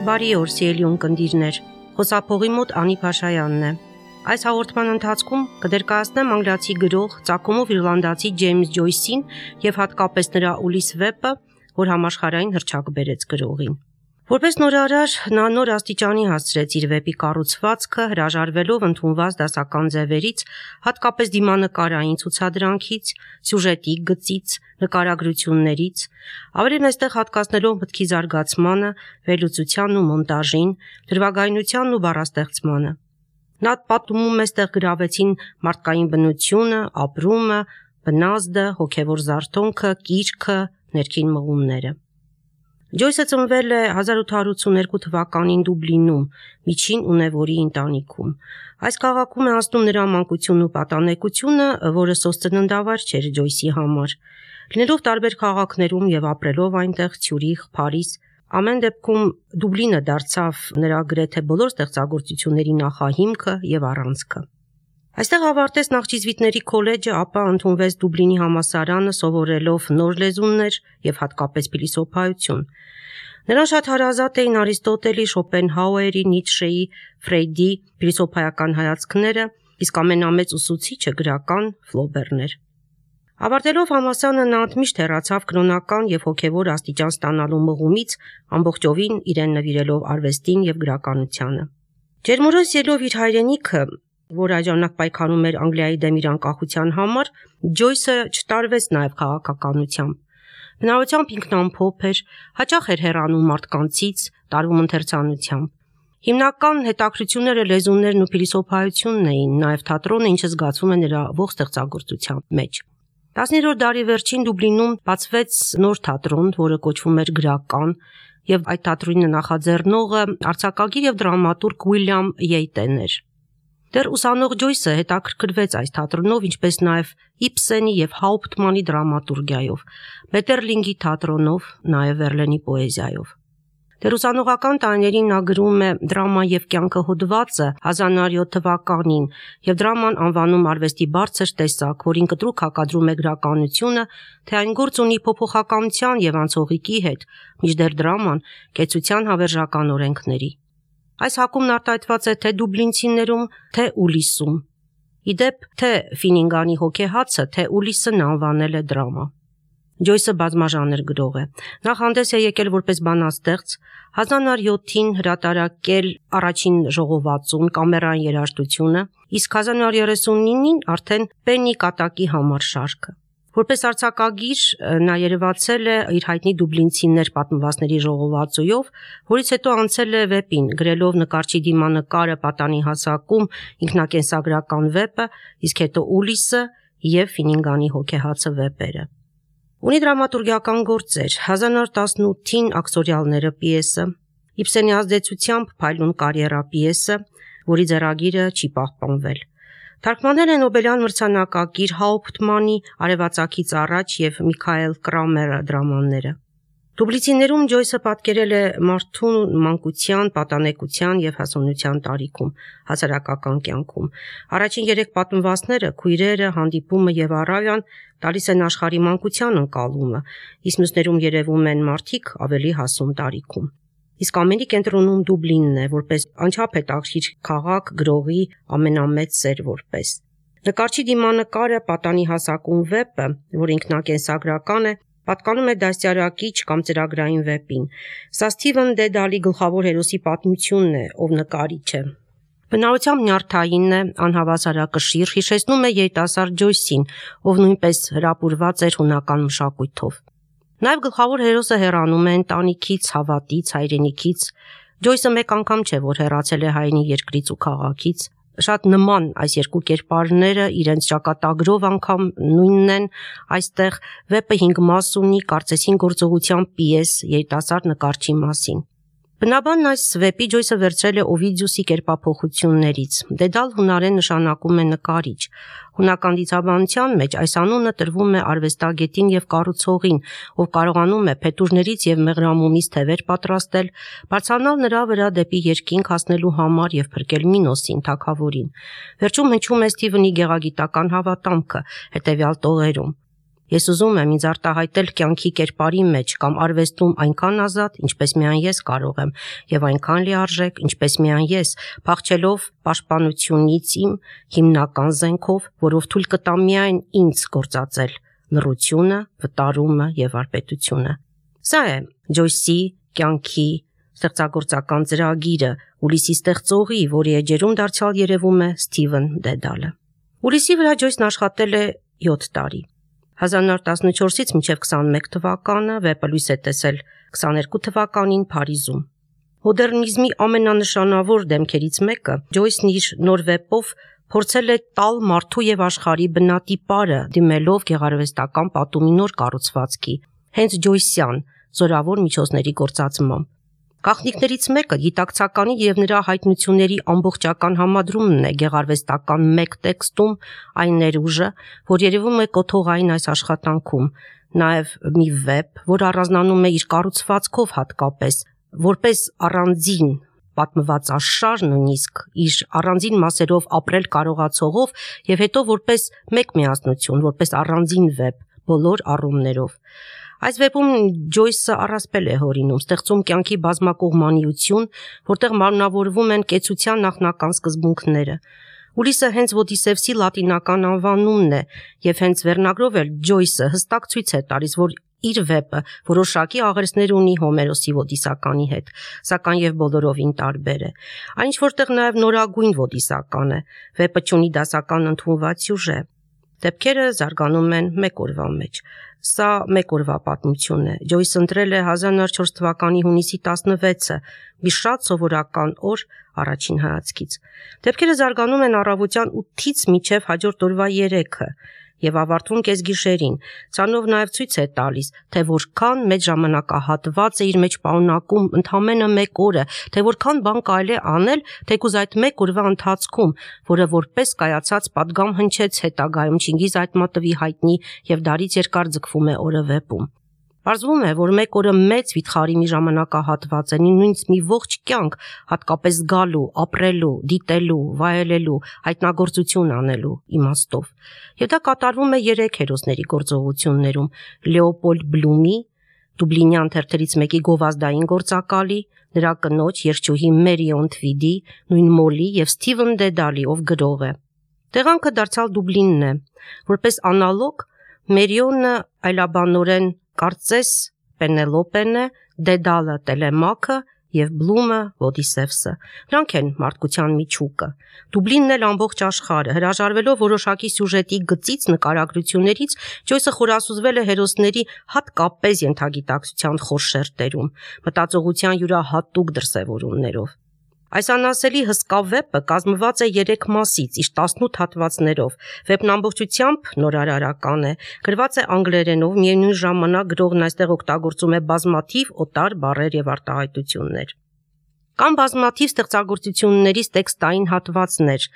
Բարի օր, սիրելի ունկնդիրներ, խոսափողի մոտ Անի Փաշայանն է։ Այս հաղորդման ընթացքում կներկայացնեմ անգլիացի գրող, ծագումով իռլանդացի Ջեյմս Ջոյսին եւ հատկապես նրա Ուլիս վեպը, որ համաշխարհային հռչակ բերեց գրողին։ Որպես նորարար նա նոր աստիճանի հասցրեց իր վեպի կառուցվածքը, հրաժարվելով ընդունված դասական ձևերից, հատկապես դիմանկարային ցուցադրանքից, սյուժետի գծից, նկարագրություններից, ավելի մեստեղ հատկացնելով մտքի զարգացմանը, վերլուծությանն ու մոնտաժին, դրվագայնությանն ու բառաստեղծմանը։ Նա պատմում էստեղ գրավեցին մարդկային բնությունը, ապրումը, բնազդը, հոգևոր զարթոնքը, կիրքը, ներքին մղումները։ Ջոյսը ծնվել է 1882 թվականին Դուբլինում, միջին ունևորի ընտանիքում։ Այս քաղաքում է անցնում նրա մանկությունն ու պատանեկությունը, որը սոցծննդավայր չէր Ջոյսի համար։ Լինելով տարբեր քաղաքներում եւ ապրելով այնտեղ Ցյուրիխ, Փարիզ, ամեն դեպքում Դուբլինը դարձավ նրա գրեթե բոլոր ստեղծագործությունների նախահիմքը եւ առանցքը։ Այստեղ ավարտեց նախճիզվիտների քոլեջը, ապա ընդունվեց Դուբլինի համալսարանը, սովորելով նոր լեզուներ եւ հատկապես փիլիսոփայություն։ Նրան շատ հարազատ էին Արիստոտելի, Շոպենհաուերի, Նիցշեի, Ֆրեյդի փիլիսոփայական հայացքները, իսկ ամենամեծ ուսուցիչը գրական Ֆլոբերն էր։ Ավարտելով համալսարանը նա ընդմիշտ հեռացավ կրոնական եւ հոգեվոր աստիճան ստանալու մղումից, ամբողջովին իրեն նվիրելով արվեստին եւ գրականությանը։ Ջերմորոս ելով իր հայրենիքը, որ այժմ պայքարում էր Անգլիայի դեմ իր անկախության համար, Ջոյսը չտարվեց նաև քաղաքականությամբ։ Բնավորությամբ ինքնամփոփ էր, հաճախ էր հեռանում մարդկանցից, տարվում ընթերցանությամբ։ Հիմնական հետաքրքրությունները լեզուներն ու փիլիսոփայությունն էին, նաև թատրոնը, ինչը զգացվում է նրա ողջ ստեղծագործության մեջ։ 19-րդ դարի վերջին Դուբլինում բացվեց նոր թատրոն, որը կոչվում էր Գրական, եւ այդ թատրոնի նախաձեռնողը արձակագիր եւ դրամատուրգ Ուիլյամ Յեյտեն էր։ Դեռ ուսանող Ջոյսը հետաքրքրվեց այս թատրոնով, ինչպես նաև Իբսենի եւ Հաուպտմանի դրամատուրգիայով, Մետերլինգի թատրոնով, նաև Վերլենի պոեզիայով։ Դեռ ուսանողական տարիներին նա գրում է «Դրամա եւ կյանքը» հոդվածը 1907 թվականին եւ դրաման անվանում արվեստի բարձր տեսակ, որին կտրուկ հակադրում է գրականությունը, թե այն գործ ունի փոփոխականության եւ անցողիկի հետ, մինչդեռ դրաման կեցության հավերժական օրենքների։ Այս հակումն արտահայտված է թե Դուբլինցիներում, թե Ուլիսում։ Իդեպ, թե Ֆինինգանի հոգեհացը, թե Ուլիսն անվանել է դրամա։ Ջոյսը բազմաժանր գրող է։ Նա հանդես է եկել որպես բանաստեղծ, 1907-ին հրատարակել առաջին ժողովածուն կամերային երաժշտությունը, իսկ 1939-ին արդեն Պենի կատակի համար շարքը։ Որպես արձակագիր նա երևացել է իր հայտնի Դուբլինցիներ պատմվածների ժողովածույով, որից հետո անցել է վեպին, գրելով նկարչի դիմանկարը պատանի հասակում ինքնակենսագրական վեպը, իսկ հետո Ուլիսը եւ Ֆինինգանի հոգեհացը վեպերը։ Ունի դրամատուրգիական գործեր, 1918-ին Աքսորիալները պիեսը, Իբսենի ազդեցությամբ Փայլուն կարիերա պիեսը, որի ձեռագիրը չի պահպանվել։ Թարգմանել է Նոբելյան մրցանակակիր Հաուպտմանի Արևածագից առաջ եւ Միքայել Կրամերը դրամաները։ Դուբլինցիներում Ջոյսը պատկերել է մարդուն մանկության, պատանեկության եւ հասունության տարիքում, հասարակական կյանքում։ Առաջին 3 պատմվածքները՝ քույրերը, հանդիպումը եւ առավյան, տալիս են աշխարհի մանկության ընկալումը, իսկ մյուսներում երևում են մարդիկ ավելի հասուն տարիքում։ Իսկ ամենի կենտրոնում Դուբլինն է, որպես անչափ հետաքրքիր քաղաք, գրողի ամենամեծ սեր որպես։ Նկարչի դիմանկարը պատանի հասակում վեպը, որ ինքնակենսագրական է, պատկանում է դաստիարակիչ կամ ծրագրային վեպին։ Սա Սթիվեն Դեդալի գլխավոր հերոսի պատմությունն է, ով նկարիչ է։ Բնավորությամբ նյարդային է, անհավասարակշիռ, հիշեցնում է երիտասարդ Ջոյսին, ով նույնպես հրապուրված էր հունական մշակույթով։ Նաև գլխավոր հերոսը հեռանում է ընտանիքից, հավատից, հայրենիքից։ Ջոյսը մեկ անգամ չէ, որ հեռացել է հայրենի երկրից ու քաղաքից։ Շատ նման այս երկու կերպարները իրենց ճակատագրով անգամ նույնն են այստեղ վեպը 5 մաս ունի, կարծես 5 գործողության պիես երիտասարդ նկարչի մասին։ Բնաբանն այս վեպի Ջոյսը վերցրել է Օվիդիուսի կերպափոխություններից։ Դեդալ հունարեն նշանակում է նկարիչ։ Հունական դիցաբանության մեջ այս անունը տրվում է արվեստագետին եւ կառուցողին, ով կարողանում է փետուրներից եւ մեղրամոմից թևեր պատրաստել, բարձրանալ նրա վրա դեպի երկինք հասնելու համար եւ փրկել Մինոսին, թագավորին։ Վերջում հնչում է Սթիվենի գեղագիտական հավատամքը հետեւյալ տողերում. Ես ուզում եմ ինձ արտահայտել կյանքի կերպարի մեջ կամ արվեստում այնքան ազատ, ինչպես միայն ես կարող եմ, եւ այնքան լիարժեք, ինչպես միայն ես, փախչելով պաշտպանությունից իմ հիմնական զենքով, որով թույլ կտա միայն ինձ գործածել լռությունը, վտարումը եւ վարպետությունը։ Սա է Ջոյսի կյանքի ստեղծագործական ծրագիրը, Ուլիսի ստեղծողի, որի էջերում դարձյալ երևում է Սթիվեն Դեդալը։ Ուլիսի վրա Ջոյսն աշխատել է 7 տարի։ 1914-ից մինչև 21 թվականը վեպը լույս է տեսել 22 թվականին Փարիզում։ Մոդեռնիզմի ամենանշանավոր դեմքերից մեկը Ջոյսն իր նոր վեպով փորձել է տալ մարդու եւ աշխարհի բնատիպարը, դիմելով գեղարվեստական պատումի նոր կառուցվածքի, հենց ջոյսյան զորավոր միջոցների գործածմամբ։ Գաղտնիքներից մեկը գիտակցականի եւ նրա հայտնությունների ամբողջական համադրումն է գեղարվեստական մեկ տեքստում այն ներուժը, որ երևում է կոթողային այս աշխատանքում, նաեւ մի վեպ, որ առանձնանում է իր կառուցվածքով հատկապես, որպես առանձին պատմվածաշար նույնիսկ իր առանձին մասերով ապրել կարողացողով եւ հետո որպես մեկ միասնություն, որպես առանձին վեպ բոլոր առումներով։ Այս վեպում Ջոյսը առասպել է հորինում, ստեղծում կյանքի բազմակողմանիություն, որտեղ մարմնավորվում են կեցության նախնական սկզբունքները։ Ուլիսը հենց Ոդիսևսի լատինական անվանումն է, եւ հենց վերնագրով էլ Ջոյսը հստակ ցույց է տալիս, որ իր վեպը որոշակի աղերսներ ունի Հոմերոսի Ոդիսականի հետ, սակայն եւ բոլորովին տարբեր է։ Այն ինչ որտեղ նաեւ նորագույն Ոդիսական է, վեպը չունի դասական ընդունված սյուժե։ Դեպքերը զարգանում են մեկ օրվա մեջ։ Սա մեկ օրվա պատմություն է։ Ջոյսը ընտրել է 1904 թվականի հունիսի 16-ը, մի շատ սովորական օր առաջին հայացքից։ Դեպքերը զարգանում են առավոտյան 8-ից մինչև հաջորդ օրվա 3-ը եւ ավարտվում կեսգիշերին։ Ցանով նաեւ ցույց է տալիս, թե որքան մեծ ժամանակահատված է իր մեջ պարունակում ընդամենը մեկ օրը, թե որքան բան կարելի է անել, թեկուզ այդ մեկ օրվա ընթացքում, որը որպես կայացած պատգամ հնչեց հետագայում Չինգիզ Այթմատովի հայտնի եւ դարից երկար ձգվում է օրը վեպում։ Պարզվում է, որ մեկ օրը մեծ վիթխարի մի ժամանակահատված է, նույնիսկ մի ողջ կյանք, հատկապես զգալու, ապրելու, դիտելու, վայելելու, հայտնագործություն անելու իմաստով։ Եվ դա կատարվում է 3 հերոսների գործողություններում՝ Լեոպոլդ Բլումի, Դուբլինյան թերթերից մեկի գովազդային գործակալի, նրա կնոջ երգչուհի Մերիոն Թվիդի, նույն Մոլի եւ Սթիվեն Դեդալի, ով գրող է։ Տեղանքը դարձյալ Դուբլինն է։ Որպես անալոգ, Մերիոնը այլաբանորեն կարծես Պենելոպեն է, Դեդալը Տելեմաքը եւ Բլումը Ոդիսևսը։ Նրանք են մարդկության միջուկը։ Դուբլինն էլ ամբողջ աշխարհը, հրաժարվելով որոշակի սյուժետի գծից, նկարագրություններից, Ջոյսը խորասուզվել է հերոսների հատկապես ենթագիտակցության խոր շերտերում, մտածողության յուրահատուկ դրսևորումներով։ Այս անասելի հսկա վեպը կազմված է 3 մասից, իր 18 հատվածներով։ Վեպն ամբողջությամբ նորարարական է, գրված է անգլերենով, միևնույն ժամանակ գրողն այստեղ օգտագործում է բազմաթիվ օտար բառեր եւ արտահայտություններ։ Կան բազմաթիվ ստեղծագործություններից տեքստային հատվածներ,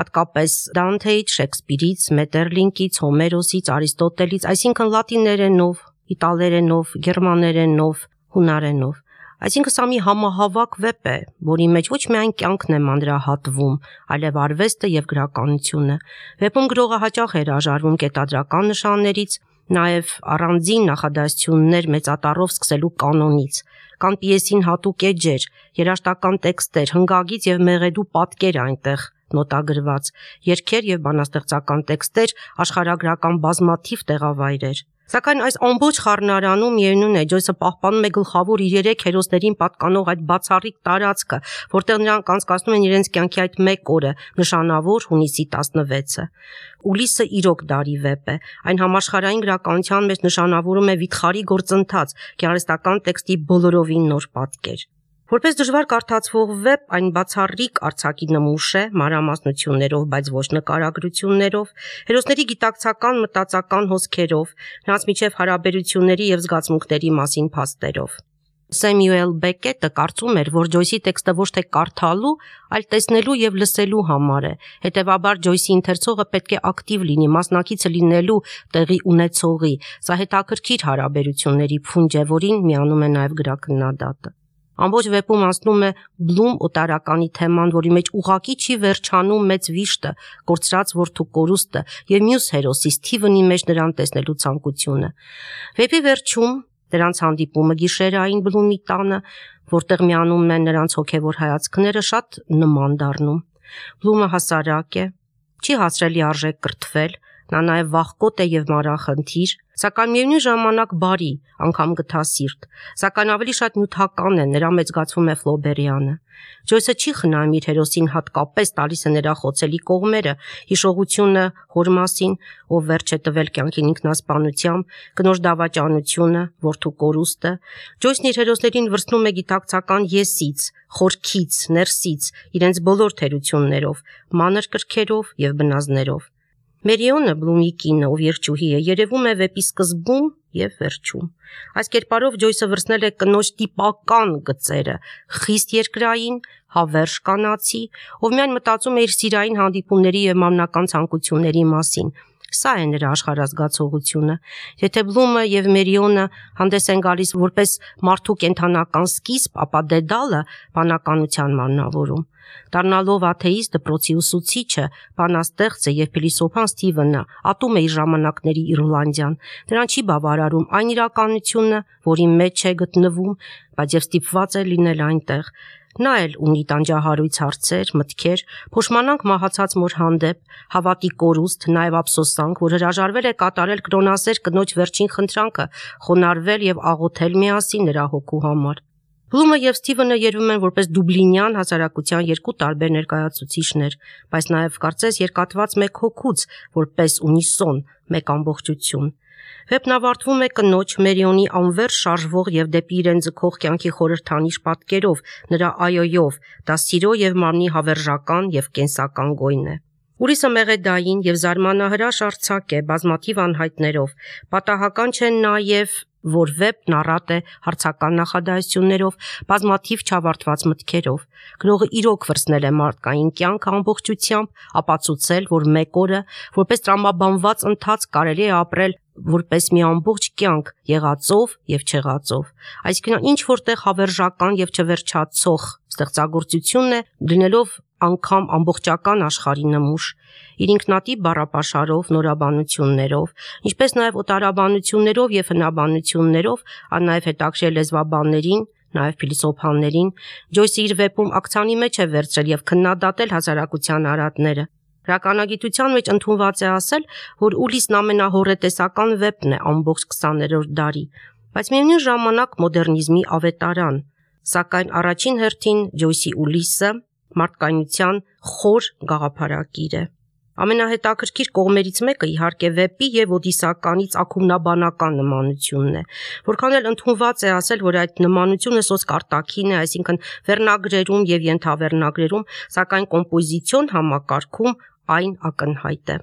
հատկապես Դանթեից, Շեքսպիրից, Մետերլինկից, Հոմերոսից, Արիստոտելից, այսինքն լատիներենով, իտալերենով, գերմաներենով, հունարենով։ Այսինքն սա մի համահավաք վեպ է, որի մեջ ոչ միայն կյանքն է մանրահատվում, այլև արվեստը եւ գրականությունը։ Վեպում գրողը հաճախ է հրաժարվում կետադրական նշաններից, նաեւ առանձին նախադասություններ մեծատառով սկսելու կանոնից։ Կան պիեսին հատուկ էջեր, երաժշտական տեքստեր, հնգագից եւ մեղեդու պատկեր այնտեղ նոտագրված, երգեր եւ բանաստեղծական տեքստեր, աշխարհագրական բազմաթիվ տեղավայրեր։ Սակայն այս ամբողջ խառնարանում միևնույն է, Ջոյսը պահպանում է գլխավոր իր 3 հերոսներին պատկանող այդ բացառիկ տարածքը, որտեղ նրանք անցկացնում են իրենց կյանքի այդ մեկ օրը, նշանավոր հունիսի 16-ը։ Ուլիսը իրոք դարի վեպ է։ Այն համաշխարհային գրականության մեջ նշանավորում է վիթխարի գործընթաց, գեղարվեստական տեքստի բոլորովին նոր պատկեր։ Որպես դժվար կարդացվող վեպ, այն բացառիկ արձակի նմուշ է, մանրամասնություններով, բայց ոչ նկարագրություններով, հերոսների գիտակցական մտածական հոսքերով, նրանց միջև հարաբերությունների եւ զգացմունքների մասին փաստերով։ Սեմյուել Բեկետը կարծում էր, որ Ջոյսի տեքստը ոչ թե կարդալու, այլ տեսնելու եւ լսելու համար է։ Հետևաբար Ջոյսի ընթերցողը պետք է ակտիվ լինի, մասնակիցը լինելու տեղի ունեցողի։ Սա հետաքրքիր հարաբերությունների փունջ է, որին միանում է նաեւ գրաքննադատը։ Ամբողջ վեպում անցնում է Բլում օտարականի թեման, որի մեջ ուղղակի չի վերջանում մեծ վիշտը, կորցրած որդու կորուստը եւ մյուս հերոսի Սթիվենի մեջ նրան տեսնելու ցանկությունը։ Վեպի վերջում նրանց հանդիպումը գիշերային Բլումի տանը, որտեղ միանում են նրանց հոգևոր հայացքները, շատ նման դառնում։ Բլումը հասարակ է, չի հասրելի արժեք կրթվել, նա նաև վախկոտ է եւ մանրախնդիր, սակայն միևնույն ժամանակ բարի, անգամ գթասիրտ, սակայն ավելի շատ նյութական է, նրա մեջ զգացվում է Ֆլոբերյանը։ Ջոյսը չի խնայում իր հերոսին, հատկապես տալիս է նրա խոցելի կողմերը, հիշողությունը հոր մասին, ով վերջ է տվել կյանքին ինքնասպանությամբ, կնոջ դավաճանությունը, որդու կորուստը։ Ջոյսն իր հերոսներին վրձնում է գիտակցական եսից, խորքից, ներսից, իրենց բոլոր թերություններով, մանր կրքերով եւ բնազներով։ Մերիոնը Բլումի կինը, ով երջուհի է, երևում է վեպի սկզբում եւ վերջում։ Այս կերպարով Ջոյսը վրձնել է կնոջ տիպական գծերը, խիստ երկրային, հավերժ կանացի, ով միայն մտածում է իր սիրային հանդիպումների եւ մամնական ցանկությունների մասին։ Սա է նրա աշխարհազգացողությունը։ Եթե Բլումը եւ Մերիոնը հանդես են գալիս որպես մարդու կենթանական սկիզբ, ապա Դեդալը բանականության մարմնավորում։ Դառնալով աթեիստ, դպրոցի ուսուցիչը, բանաստեղծը եւ փիլիսոփան Սթիվենը ատում է իր ժամանակների Իռլանդիան։ Նրան չի բավարարում այն իրականությունը, որի մեջ է գտնվում, բայց եւ ստիպված է լինել այնտեղ։ Նա էլ ունի տանջահարույց հարցեր, մտքեր, փոշմանանք մահացած մոր հանդեպ, հավատի կորուստ, նաև ափսոսանք, որ հրաժարվել է կատարել կրոնասեր կնոջ վերջին խնդրանքը, խոնարհվել եւ աղոթել միասին նրա հոգու համար։ Բլումը եւ Սթիվենը երևում են որպես դուբլինյան հասարակության երկու տարբեր ներկայացուցիչներ, բայց նաև կարծես երկաթված մեկ հոգուց, որպես ունիսոն, մեկ ամբողջություն։ Վեպն ավարտվում է կնոջ Մերիոնի անվերջ շարժվող եւ դեպի իրեն ձգող կյանքի խորհրդանիշ պատկերով, նրա այոյով, դա սիրո եւ մարմնի հավերժական եւ կենսական գոյն է։ Ուրիսը մեղեդային եւ զարմանահրաշ արձակ է, բազմաթիվ անհայտներով։ Պատահական չէ նաեւ, որ վեպն առատ է հարցական նախադասություններով, բազմաթիվ չավարտված մտքերով։ Գրողը իրոք վրձնել է մարդկային կյանքը ամբողջությամբ, ապացուցել, որ մեկ օրը, որպես տրամաբանված ընթացք կարելի է ապրել որպես մի ամբողջ կյանք, եղածով եւ չեղածով։ Այսինքն ինչ որտեղ հավերժական եւ չվերջացող ստեղծագործությունն է, դնելով անգամ ամբողջական աշխարհի նմուշ, իր ինքնատիպ բառապաշարով, նորաբանություններով, ինչպես նաև օտարաբանություններով եւ հնաբանություններով, նաեւ հետաքրքիր լեզվաբաններին, նաև փիլիսոփաներին, Ջոյսը իր վեպում ակցանի մեջ է վերցրել եւ քննադատել հասարակության արատները։ Հրականագիտության մեջ ընդունված է ասել, որ Ուլիսն ամենահոռետեսական վեպն է ամբողջ 20-րդ դարի, բայց միևնույն ժամանակ մոդեռնիզմի ավետարան, սակայն առաջին հերթին Ջոյսի Ուլիսը մարդկայնության խոր գաղափարակիր է։ Ամենահետաքրքիր կողմերից մեկը իհարկե վեպի եւ Օդիսականի ծագումնաբանական նմանությունն է, որքան էլ ընդունված է ասել, որ այդ նմանությունը սոսկ արտաքին է, այսինքն վերնագրերում եւ ենթավերնագրերում, սակայն կոմպոզիցիոն համակարգում այն ակնհայտ է։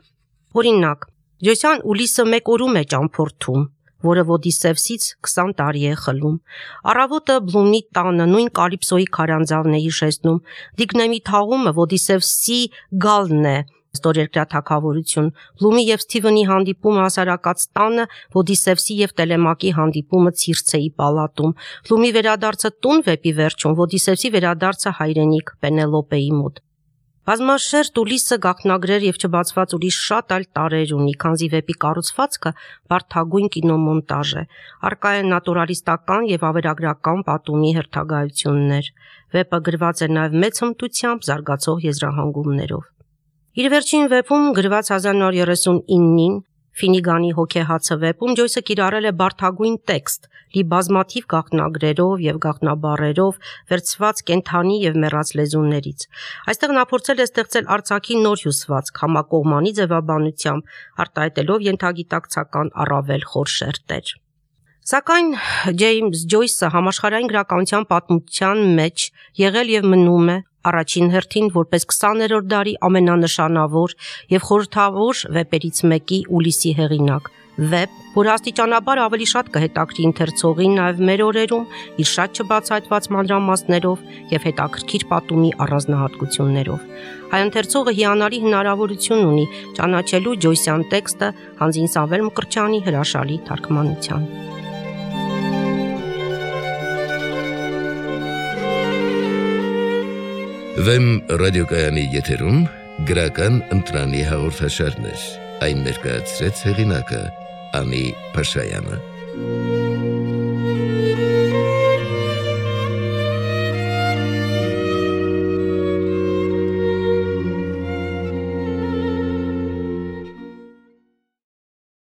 Օրինակ, Ջոյսյան Ուլիսը մեկ օրում է ճամփորդում, որը Ոդիսևսից 20 տարի է խլում։ Առավոտը Բլումի տանը նույն Կալիպսոյի քարանձավն է հիշեցնում։ Դիգնեմի թաղումը Ոդիսևսի գալն է, ստորերկրյա թագավորություն։ Բլումի եւ Սթիվենի հանդիպումը հասարակած տանը, Ոդիսևսի եւ Տելեմակի հանդիպումը Ցիրցեի պալատում։ Բլումի վերադարձը տուն վեպի վերջում, Ոդիսևսի վերադարձը հայրենիք Պենելոպեի մոտ։ Բազմաշերտ Ուլիսը գաղտնագրեր եւ չբացված ուրիշ շատ այլ տարեր ունի, քանզի վեպի կառուցվածքը բարդագույն կինոմոնտաժ է։ Արկա է նատուրալիստական եւ ավերագրական պատումի հերթագայություններ։ Վեպը գրված է նաեւ մեծ հմտությամբ, զարգացող եզրահանգումներով։ Իր վերջին վեպում գրված 1939-ին Ֆինիգանի հոգեհացը վեպում Ջոյսը կիրառել է բարդագույն տեքստ, լի բազմաթիվ գաղտնագրերով եւ գաղտնաբառերով, վերցված կենթանի եւ մեռած լեզուներից։ Այստեղ նա փորձել է ստեղծել արձակի նոր հյուսվածք, համակողմանի ձևաբանությամբ, արտահայտելով ենթագիտակցական առավել խոր շերտեր։ Սակայն Ջեյմս Ջոյսը համաշխարհային գրականության պատմության մեջ եղել եւ մնում է առաջին հերթին որպես 20-րդ դարի ամենանշանավոր եւ խորհրդավոր վեպերից մեկի Ուլիսի հեղինակ։ Վեպ, որ աստիճանաբար ավելի շատ կհետաքրի ընթերցողին նաեւ մեր օրերում իր շատ չբացահայտված մանրամասներով եւ հետաքրքիր պատումի առանձնահատկություններով։ Հայ ընթերցողը հիանալի հնարավորություն ունի ճանաչելու Ջոյսյան տեքստը Հանձին Սամվել Մկրտչյանի հրաշալի թարգմանությամբ։ Վեմ ռադիոկայանի եթերում գրական ընտրանի հաղորդաշարներ, այն ներկայացրեց հեղինակը Անի Փաշայանը։